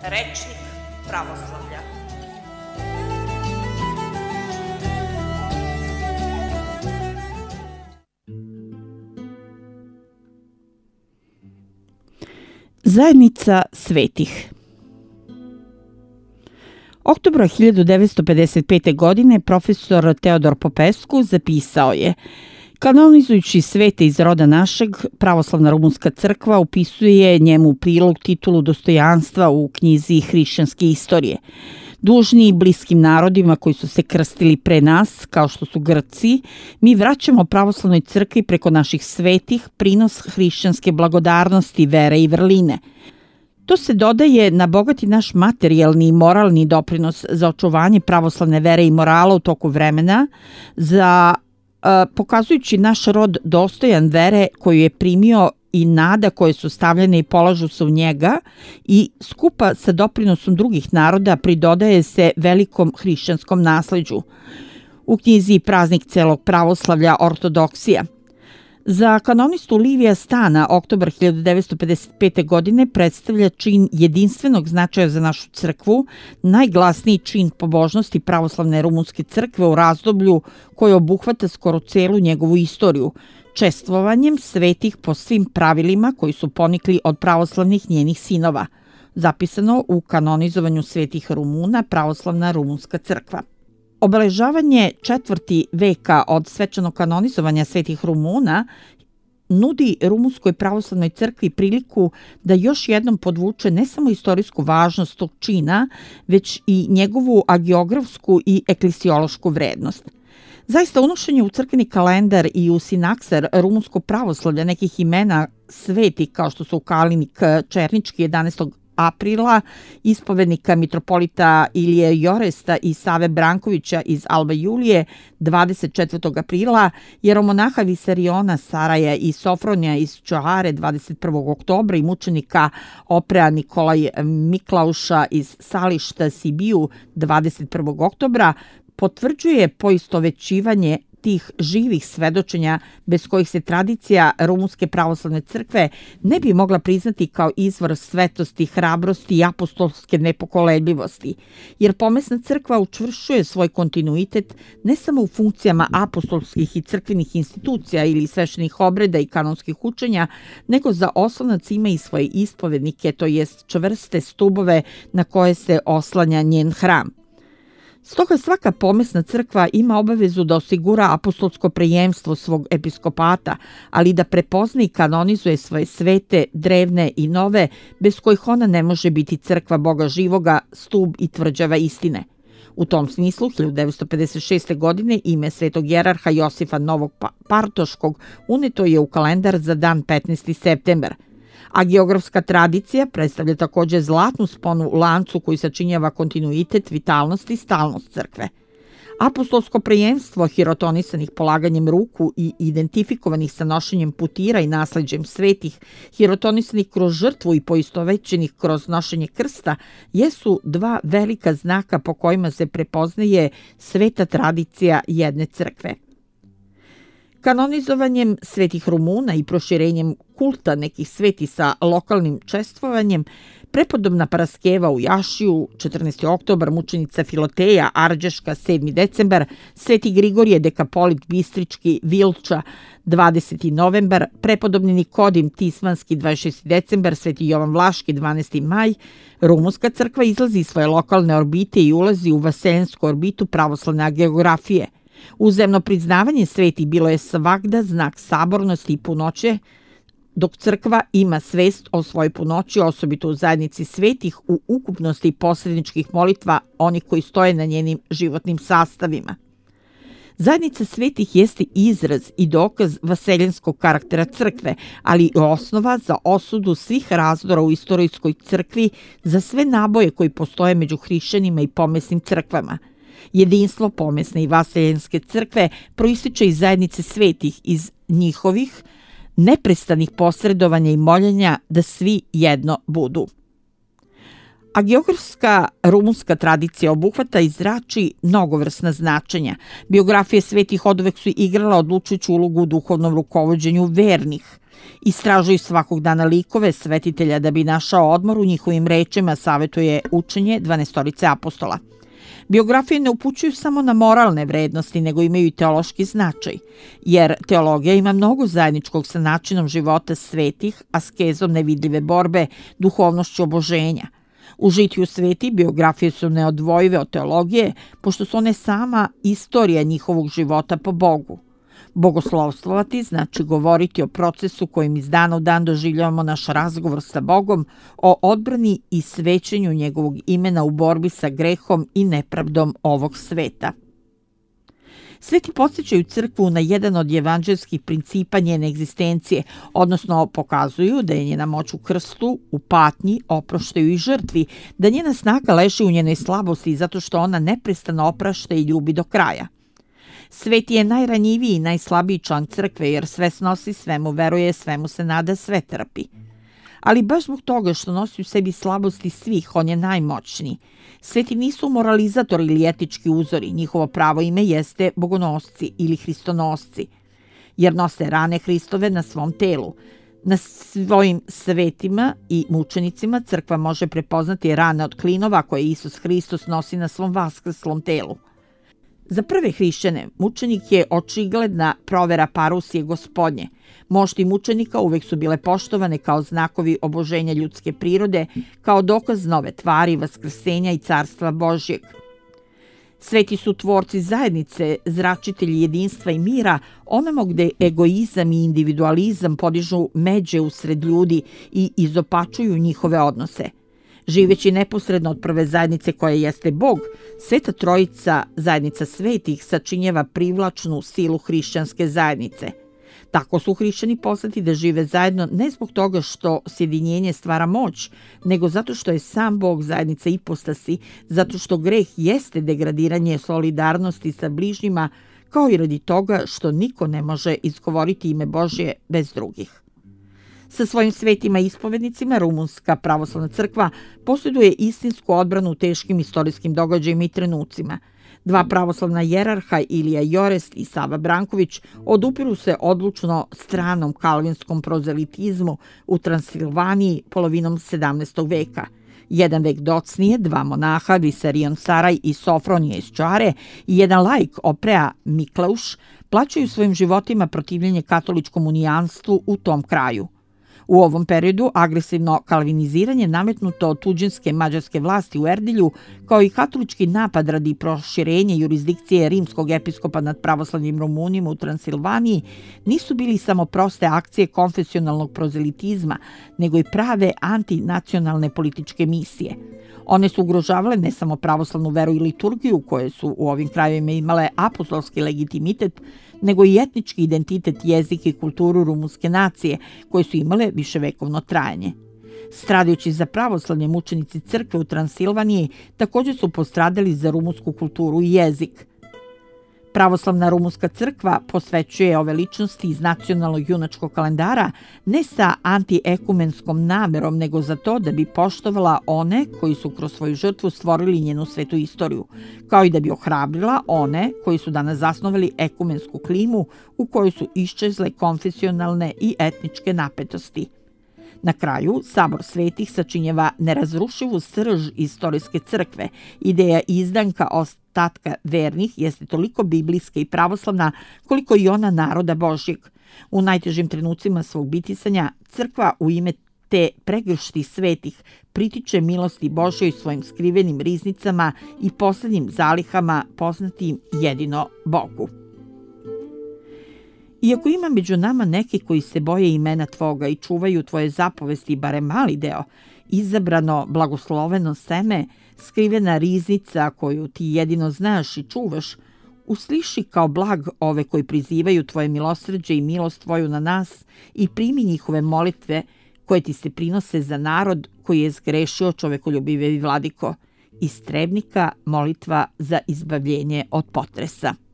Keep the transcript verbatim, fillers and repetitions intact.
Rečnik pravoslavlja. Zajednica svetih. Oktobra hiljadu devetsto pedeset pete. godine profesor Teodor Popescu zapisao je: kanonizujući svete iz roda našeg, pravoslavna rumunska crkva upisuje njemu u prilog titulu dostojanstva u knjizi hrišćanske istorije. Dužni bliskim narodima koji su se krstili pre nas, kao što su Grci, mi vraćamo pravoslavnoj crkvi preko naših svetih prinos hrišćanske blagodarnosti, vere i vrline. To se dodaje na bogati naš materijalni i moralni doprinos za očuvanje pravoslavne vere i morala u toku vremena, za pokazujući naš rod dostojan vere koju je primio i nada koje su stavljene i polažu se u njega, i skupa sa doprinosom drugih naroda pridodaje se velikom hrišćanskom nasleđu. U knjizi Praznik celog pravoslavlja ortodoksija. Za kanonistu Livija Stana oktobar hiljadu devetsto pedeset pete. godine predstavlja čin jedinstvenog značaja za našu crkvu, najglasniji čin pobožnosti pravoslavne rumunske crkve u razdoblju koje obuhvata skoro celu njegovu istoriju, čestvovanjem svetih po svim pravilima koji su ponikli od pravoslavnih njenih sinova, zapisano u kanonizovanju svetih Rumuna pravoslavna rumunska crkva. Obeležavanje četvrti veka od svečanog kanonizovanja svetih Rumuna nudi rumunskoj pravoslavnoj crkvi priliku da još jednom podvuče ne samo istorijsku važnost tog čina, već i njegovu agiografsku i eklesiološku vrednost. Zaista, unošenje u crkveni kalendar i u sinaksar rumunsko pravoslavlja nekih imena sveti kao što su Kalinik Černički jedanaestog aprila, ispovednika mitropolita Ilije Joresta i Save Brankovića iz Alba Julije dvadeset četvrtog aprila, jeromonaha Visariona Saraja i Sofronija iz Čoare dvadeset prvog oktobra i mučenika Oprea Nikolaj Miklauša iz Sališta Sibiju dvadeset prvog oktobra, potvrđuje poistovećivanje tih živih svedočenja bez kojih se tradicija rumunske pravoslavne crkve ne bi mogla priznati kao izvor svetosti, hrabrosti i apostolske nepokolebljivosti, jer pomesna crkva učvršćuje svoj kontinuitet ne samo u funkcijama apostolskih i crkvenih institucija ili sveštenih obreda i kanonskih učenja, nego za oslonac ima i svoje ispovednike, to jest čvrste stubove na koje se oslanja njen hram. Stoga svaka pomesna crkva ima obavezu da osigura apostolsko prejemstvo svog episkopata, ali da prepozna i kanonizuje svoje svete, drevne i nove, bez kojih ona ne može biti crkva Boga živoga, stub i tvrđava istine. U tom smislu, hiljadu devetsto pedeset šeste. godine ime svetog jerarha Josifa Novog Partoškog uneto je u kalendar za dan petnaesti septembar. A geografska tradicija predstavlja također zlatnu sponu u lancu koji sačinjava kontinuitet, vitalnost i stalnost crkve. Apostolsko prejemstvo hirotonisanih polaganjem ruku i identifikovanih sa nošenjem putira i nasleđem svetih, hirotonisanih kroz žrtvu i poistovećenih kroz nošenje krsta, jesu dva velika znaka po kojima se prepoznaje sveta tradicija jedne crkve. Kanonizovanjem svetih Rumuna i proširenjem kulta nekih sveti sa lokalnim čestvovanjem, prepodobna Paraskeva u Jašiju, četrnaesti oktobar, mučenica Filoteja, Arđeška, sedmi decembar, sveti Grigorije Dekapolit Bistrički, Vilča, dvadeseti novembar, prepodobni Nikodim Tismanski, dvadeset šesti decembar, sveti Jovan Vlaški, dvanaesti maj, rumunska crkva izlazi iz svoje lokalne orbite i ulazi u vaseljensku orbitu pravoslavne geografije. Uzemno priznavanje sveti bilo je svagda znak sabornosti i punoće, dok crkva ima svest o svojoj punoći, osobito u zajednici svetih, u ukupnosti posredničkih molitva onih koji stoje na njenim životnim sastavima. Zajednica svetih jeste izraz i dokaz vaseljenskog karaktera crkve, ali i osnova za osudu svih razdora u istorijskoj crkvi za sve naboje koji postoje među hrišćanima i pomesnim crkvama. Jedinstvo pomesne i vaseljenske crkve proističe iz zajednice svetih, iz njihovih neprestanih posredovanja i moljenja da svi jedno budu. A geografska rumunska tradicija obuhvata i zrači mnogovrsna značenja. Biografije svetih oduvek su igrala odlučujuću ulogu u duhovnom rukovođenju vernih. Istražuju svakog dana likove svetitelja da bi našao odmor u njihovim rečima, savetuje učenje dvanaestorice apostola. Biografije ne upućuju samo na moralne vrednosti, nego imaju i teološki značaj, jer teologija ima mnogo zajedničkog sa načinom života svetih, askezom nevidljive borbe, duhovnošću oboženja. U žitiju sveti biografije su neodvojive od teologije, pošto su one sama istorija njihovog života po Bogu. Bogoslovstvovati znači govoriti o procesu kojim iz dana u dan doživljavamo naš razgovor sa Bogom, o odbrani i svećenju njegovog imena u borbi sa grehom i nepravdom ovog sveta. Sveti podsjećaju crkvu na jedan od evanđelskih principa njene egzistencije, odnosno pokazuju da je njena moć u krstu, u patnji, oproštaju i žrtvi, da njena snaga leži u njenoj slabosti zato što ona neprestano oprašta i ljubi do kraja. Sveti je najranjiviji i najslabiji član crkve jer sve snosi, svemu veruje, svemu se nada, sve trpi. Ali baš zbog toga što nosi u sebi slabosti svih, on je najmoćniji. Sveti nisu moralizatori ili etički uzori, njihovo pravo ime jeste bogonosci ili hristonosci, jer nose rane Hristove na svom telu. Na svojim svetima i mučenicima crkva može prepoznati rane od klinova koje Isus Hristos nosi na svom vaskrslom telu. Za prve hrišćane mučenik je očigledna provera parusije gospodnje. Mošti mučenika uvek su bile poštovane kao znakovi oboženja ljudske prirode, kao dokaz nove tvari, vaskrsenja i carstva Božjeg. Sveti su tvorci zajednice, zračitelji jedinstva i mira, onamo gde egoizam i individualizam podižu međe usred ljudi i izopačuju njihove odnose. Živeći neposredno od prve zajednice koja jeste Bog, Sveta Trojica, zajednica svetih, sačinjava privlačnu silu hrišćanske zajednice. Tako su hrišćani poslati da žive zajedno ne zbog toga što sjedinjenje stvara moć, nego zato što je sam Bog zajednica ipostasi, zato što greh jeste degradiranje solidarnosti sa bližnjima, kao i radi toga što niko ne može izgovoriti ime Božje bez drugih. Sa svojim svetima ispovednicima Rumunska pravoslavna crkva posjeduje istinsku odbranu u teškim istorijskim događajima i trenucima. Dva pravoslavna jerarha, Ilija Jorest i Sava Branković, odupiru se odlučno stranom kalvinskom prozelitizmu u Transilvaniji polovinom sedamnaestog veka. Jedan vek docnije, dva monaha, Visarion Saraj i Sofronije iz Čare, i jedan laik Oprea Mikleuš, plaćaju svojim životima protivljenje katoličkom unijanstvu u tom kraju. U ovom periodu agresivno kalviniziranje nametnuto od tuđinske mađarske vlasti u Erdilju, kao i katolički napad radi proširenja jurisdikcije rimskog episkopa nad pravoslavnim Rumunima u Transilvaniji, nisu bili samo proste akcije konfesionalnog prozelitizma, nego i prave antinacionalne političke misije. One su ugrožavale ne samo pravoslavnu veru i liturgiju, koje su u ovim krajevima imale apostolski legitimitet, nego i etnički identitet, jezik i kulturu rumunske nacije, koje su imale viševekovno trajanje. Stradajući za pravoslavne mučenici crkve u Transilvaniji, također su postradali za rumunsku kulturu i jezik. Pravoslavna rumunska crkva posvećuje ove ličnosti iz nacionalnog junačkog kalendara ne sa antiekumenskom namerom, nego za to da bi poštovala one koji su kroz svoju žrtvu stvorili njenu svetu istoriju, kao i da bi ohrabrila one koji su danas zasnovali ekumensku klimu u kojoj su iščezle konfesionalne i etničke napetosti. Na kraju, Sabor svetih sačinjeva nerazrušivu srž istorijske crkve. Ideja izdanka ostatka vernih jeste toliko biblijska i pravoslavna koliko i ona naroda Božjeg. U najtežim trenucima svog bitisanja, crkva u ime te pregršti svetih pritiče milosti Božjoj svojim skrivenim riznicama i poslednjim zalihama poznatim jedino Bogu. Iako ima među nama neki koji se boje imena Tvoga i čuvaju Tvoje zapovesti, barem mali deo, izabrano blagosloveno seme, skrivena riznica koju Ti jedino znaš i čuvaš, usliši kao blag ove koji prizivaju Tvoje milosrđe i milost Tvoju na nas i primi njihove molitve koje Ti se prinose za narod koji je zgrešio, čovekoljubivi vladiko, istrebnika molitva za izbavljenje od potresa.